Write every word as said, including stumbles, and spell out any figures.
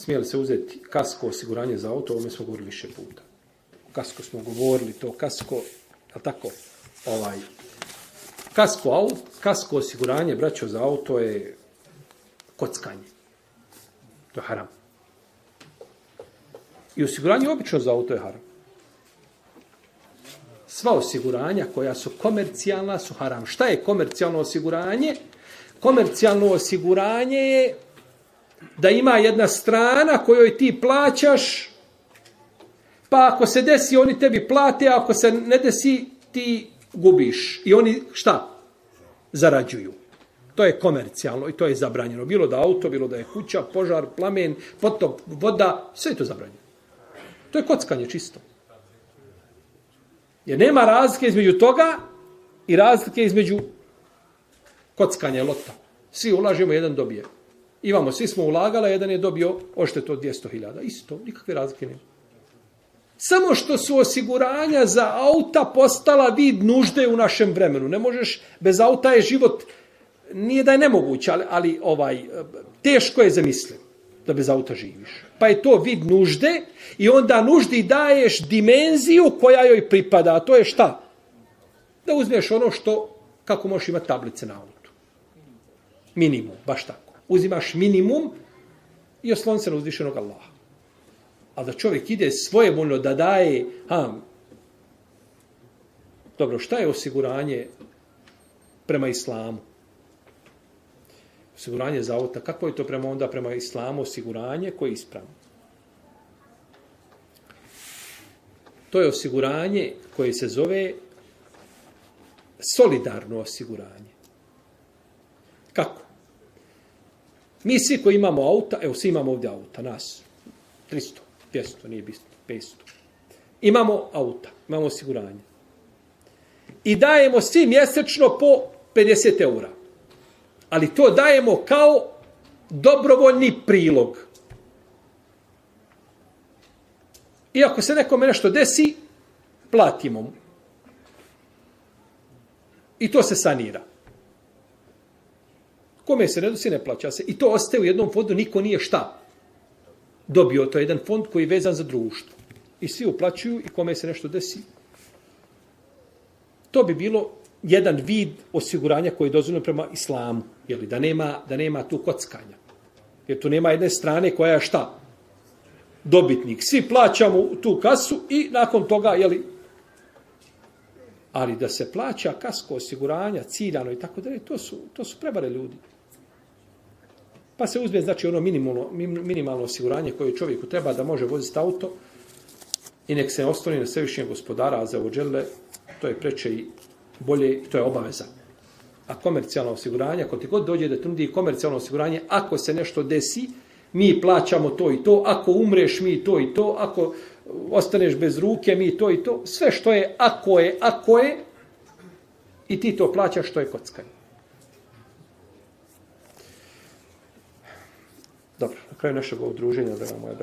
smije li se uzeti kasko osiguranje za auto, ovome smo govorili više puta. Kasko smo govorili, to kasko, je tako, ovaj, kasko, auto, kasko osiguranje, braćo, za auto je kockanje. To je haram. I osiguranje obično za auto je haram. Sva osiguranja koja su komercijalna su haram. Šta je komercijalno osiguranje? Komercijalno osiguranje je da ima jedna strana kojoj ti plaćaš, pa ako se desi, oni tebi plate, a ako se ne desi, ti gubiš. I oni šta? Zarađuju. To je komercijalno i to je zabranjeno. Bilo da auto, bilo da je kuća, požar, plamen, potop, voda, sve je to zabranjeno. To je kockanje čisto. Jer nema razlike između toga i razlike između kockanja i lota. Svi ulažemo, jedan dobije. Imamo, svi smo ulagali, jedan je dobio odštetu od dvjesto hiljada. Isto, nikakve razlike nema. Samo što su osiguranja za auta postala vid nužde u našem vremenu. Ne možeš, bez auta je život, nije da je nemoguće, ali, ali ovaj, teško je zamisliv da bez auta živiš. Pa je to vid nužde i onda nuždi daješ dimenziju koja joj pripada. A to je šta? Da uzmeš ono što, kako možeš imati tablice na autu. Minimum, baš tako. Uzimaš minimum i oslon se na uzvišenog Allaha. A da čovjek ide svojevoljno da daje, ha, dobro, šta je osiguranje prema islamu? Osiguranje za auta, kako je to prema onda prema islamu osiguranje koje je ispravno? To je osiguranje koje se zove solidarno osiguranje. Kako? Mi svi koji imamo auta, evo svi imamo ovdje auta, nas, tristo, dvjesto, nije bitno, petsto. Imamo auta, imamo osiguranje. I dajemo svi mjesečno po pedeset eura. Ali to dajemo kao dobrovoljni prilog. I ako se nekome nešto desi, platimo mu. I to se sanira. Kome se ne desi, ne plaća se. I to ostaje u jednom fondu, niko nije šta dobio. To je jedan fond koji je vezan za društvo. I svi uplaćuju i kome se nešto desi. To bi bilo jedan vid osiguranja koji je dozvoljeno prema islamu. Jeli, da, nema, da nema tu kockanja. Jer tu nema jedne strane koja je šta? Dobitnik. Svi plaćamo tu kasu i nakon toga, jeli, ali da se plaća kasko osiguranja, ciljano i tako dalje, to su, to su prevare ljudi. Pa se uzme, znači, ono minimalno, minimalno osiguranje koje čovjeku treba da može voziti auto i nek se osloni na svevišnjeg gospodara, a za ođele, to je preče i bolje, to je obaveza. A komercijalno osiguranje, ako ti god dođe da trudi komercijalno osiguranje, ako se nešto desi, mi plaćamo to i to, ako umreš mi to i to, ako ostaneš bez ruke mi to i to, sve što je ako je, ako je, i ti to plaćaš, što je kockanje. Dobro, na kraju našeg udruženja, da vam moja